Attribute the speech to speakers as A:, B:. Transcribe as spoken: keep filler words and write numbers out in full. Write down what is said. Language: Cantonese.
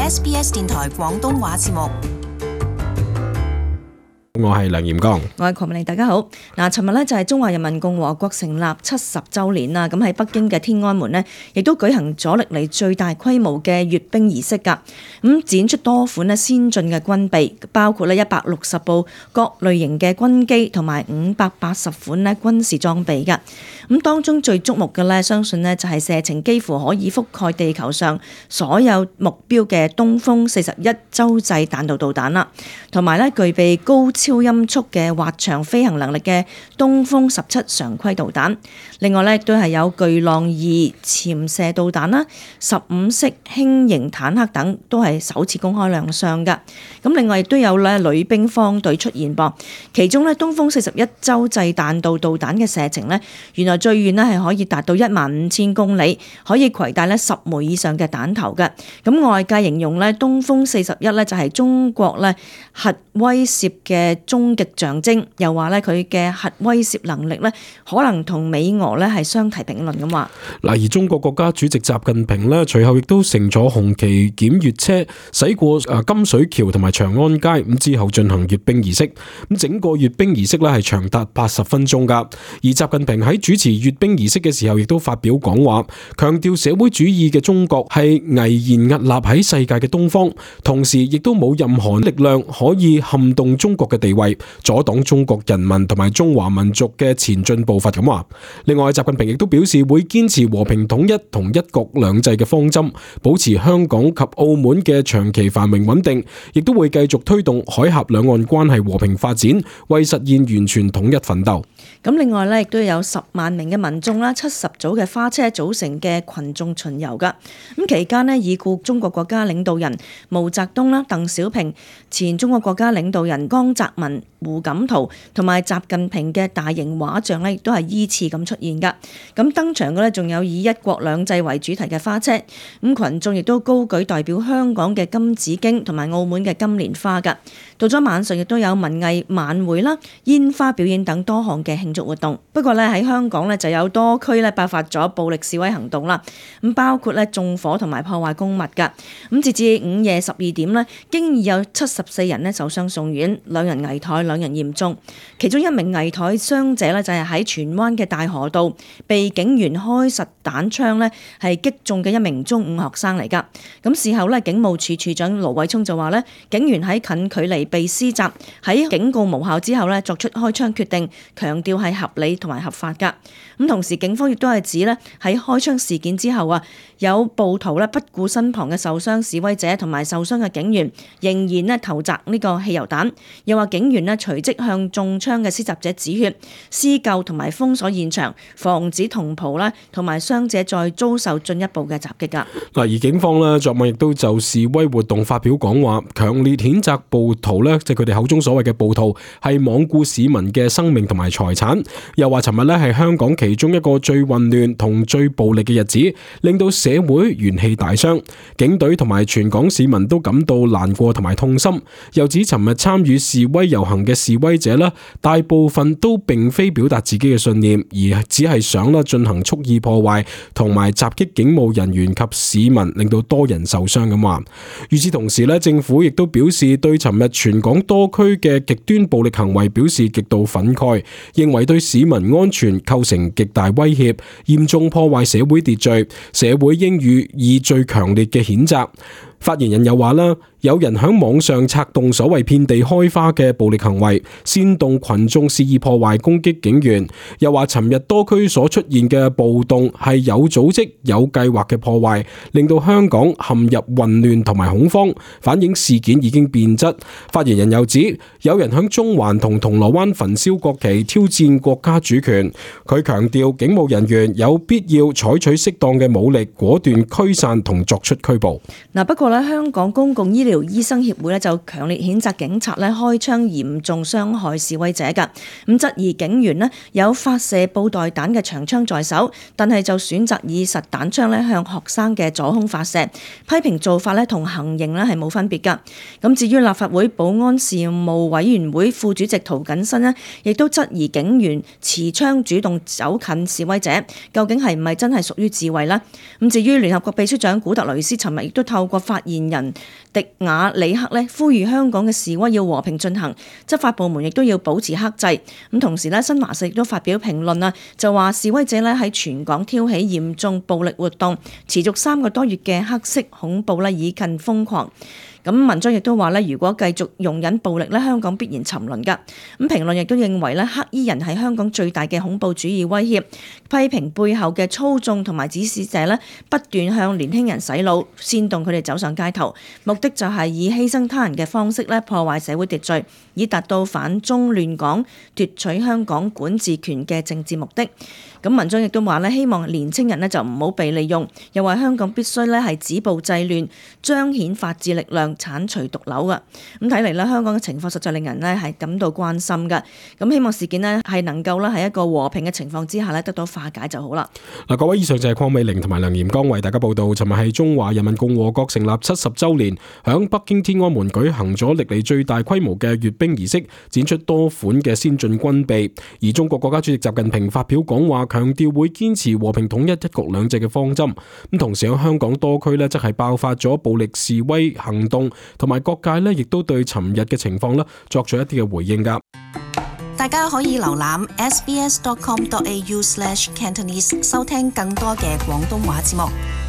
A: S B S 電台廣東話節目。
B: 我係梁炎剛，
C: 我係鄺美玲，大家好。嗱，尋日咧就係中華人民共和國成立七十週年啦。咁喺北京嘅天安門呢，亦都舉行咗歷嚟最大規模嘅閱兵儀式㗎。咁展出多款咧先進嘅軍備，包括咧一百六十部各類型嘅軍機同埋五百八十款咧軍事裝備㗎。咁當中最矚目嘅咧，相信呢就係射程幾乎可以覆蓋地球上所有目標嘅東風四十一洲際彈道導彈啦，同埋咧具備高超音速嘅滑翔飛行能力嘅東風十七常規導彈，另外咧亦都係有巨浪二潛射導彈啦、十五式輕型坦克等，都係首次公開亮相噶。咁另外亦都有咧女兵方隊出現噃，其中咧東風四十一洲際彈道導彈嘅射程咧，原來最遠咧係可以達到一萬五千公里，可以攜帶咧十枚以上嘅彈頭嘅。咁外界形容咧東風四十一咧就係中國咧核威懾嘅終極象徵，又話咧佢嘅核威懾能力咧可能同美俄咧係相提並論咁話。
B: 嗱，而中國國家主席習近平咧隨後亦都乘坐紅旗檢閱車駛過誒金水橋同埋長安街，咁之後進行閱兵儀式。咁整個閱兵儀式咧係長達八十分鐘噶。而習近平喺主持閱兵儀式嘅時候，亦都發表講話，強調社會主義嘅中國係巍然屹立喺世界嘅東方，同時亦都冇任何力量可以撼動中國嘅地位，阻擋中國人民同埋中華民族嘅前進步伐咁話。另外，習近平亦都表示會堅持和平統一同一國兩制嘅方針，保持香港及澳門嘅長期繁榮穩定，亦都會繼續推動海峽兩岸關係和平發展，為實現完全統一奮鬥。
C: 咁另外咧，亦都有十萬名嘅民眾啦，七十組嘅花車組成嘅群眾巡遊噶。咁期間呢，已故中國國家領導人毛澤東啦、鄧小平、前中國國家領導人江澤民、胡錦濤同埋習近平嘅大型畫像咧，亦都係依次咁出現噶。咁登場嘅咧，仲有以一國兩制為主題嘅花車。咁群眾亦都高舉代表香港嘅金紫荊同埋澳門嘅金蓮花噶。到咗晚上，亦都有文藝晚會啦、煙花表演等多項嘅慶祝活動。不過咧，喺香港咧就有多區咧爆發咗暴力示威行動啦。咁包括咧縱火同埋破壞公物噶。咁截至午夜十二點咧，經已有七十四人咧受傷送院，兩人危殆，兩人嚴重。其中一名危殆傷者咧就係喺荃灣嘅大河道被警員開實彈槍咧係擊中嘅一名中五學生嚟噶。咁事後咧，警務處處長盧偉聰就話咧，警員喺近距離被施襲，喺警告無效之後咧作出開槍決定，強調係合理同埋合法噶。咁同時警方亦都係指咧喺開槍事件之後啊，有暴徒咧不顧身旁嘅受傷示威者同埋受傷嘅警員，仍然咧投擲呢個汽油彈，又話警員咧隨即向中槍嘅施襲者止血、施救同埋封鎖現場，防止同袍啦同埋傷者再遭受進一步嘅襲擊噶。
B: 嗱，而警方咧昨晚亦都就示威活動發表講話，強烈譴責暴徒咧，即係佢哋口中所謂嘅暴徒係罔顧市民嘅生命同埋財產，又話尋日咧係香港其中一個最混亂同最暴力嘅日子，令到社會元氣大傷，警隊同埋全港市民都感到難過同埋痛心。又指尋日參與示威遊行嘅示威者咧，大部分都並非表達自己嘅信念，而只係想啦進行蓄意破壞同埋襲擊警務人員及市民，令到多人受傷咁話。與此同時咧，政府亦都表示對尋日全港多區嘅極端暴力行為表示極度憤慨，認為對市民安全構成極大威脅，嚴重破壞社會秩序，社會應予以最強烈嘅譴責。發言人又話啦，有人喺網上策動所謂遍地開花嘅暴力行為，煽動群眾肆意破壞攻擊警員。又話尋日多區所出現嘅暴動係有組織有計劃嘅破壞，令到香港陷入混亂同埋恐慌，反映事件已經變質。發言人又指，有人喺中環同銅鑼灣焚燒國旗，挑戰國家主權。佢強調警務人員有必要採取適當嘅武力，果斷驅散同作出拘捕。
C: 嗱，不過香港公共醫療醫生協會咧就強烈譴責警察咧開槍嚴重傷害示威者㗎，咁質疑警員咧有發射布袋彈嘅長槍在手，但係就選擇以實彈槍咧向學生嘅左胸發射，批評做法咧同行刑咧係冇分別㗎。咁至於立法會保安事務委員會副主席涂謹申咧，亦都質疑警員持槍主動走近示威者，究竟係唔係真係屬於自衛呢？咁至於聯合國秘書長古特雷斯尋日亦都透過發發言人迪亞里克咧呼籲香港嘅示威要和平進行，執法部門亦都要保持克制。咁同時咧，新華社亦都發表評論啊，就話示威者咧喺全港挑起嚴重暴力活動，持續三個多月嘅黑色恐怖咧已近瘋狂。咁文章亦都話咧，如果繼續容忍暴力咧，香港必然沉淪㗎。咁評論亦都認為咧，黑衣人係香港最大嘅恐怖主義威脅，批評背後嘅操縱同埋指使者咧，不斷向年輕人洗腦，煽動佢哋走上街頭，目的就係以犧牲他人嘅方式咧破壞社會秩序，以達到反中亂港、奪取香港管治權嘅政治目的。咁文章亦都話咧，希望年青人咧就唔好被利用，又話香港必須咧係止暴制亂，彰顯法治力量，剷除毒瘤㗎。咁睇嚟咧，香港嘅情況實在令人咧係感到關心㗎。咁希望事件咧係能夠咧喺一個和平嘅情況之下咧得到化解就好啦。
B: 嗱，各位，以上就係鄺美玲同埋梁炎剛為大家報道。尋日係中華人民共和國成立七十週年，響北京天安門舉行咗歷嚟最大規模嘅閱兵儀式，展出多款嘅先進軍備。而中國國家主席習近平發表講話，強調會堅持和平統一、一國兩制嘅方針。咁同時喺香港多區呢，則係爆發咗暴力示威行動，同埋各界呢亦都對尋日嘅情況呢作出一啲嘅回應㗎。
A: 大家可以瀏覽 s b s dot com dot a u slash cantonese 收聽更多嘅廣東話節目。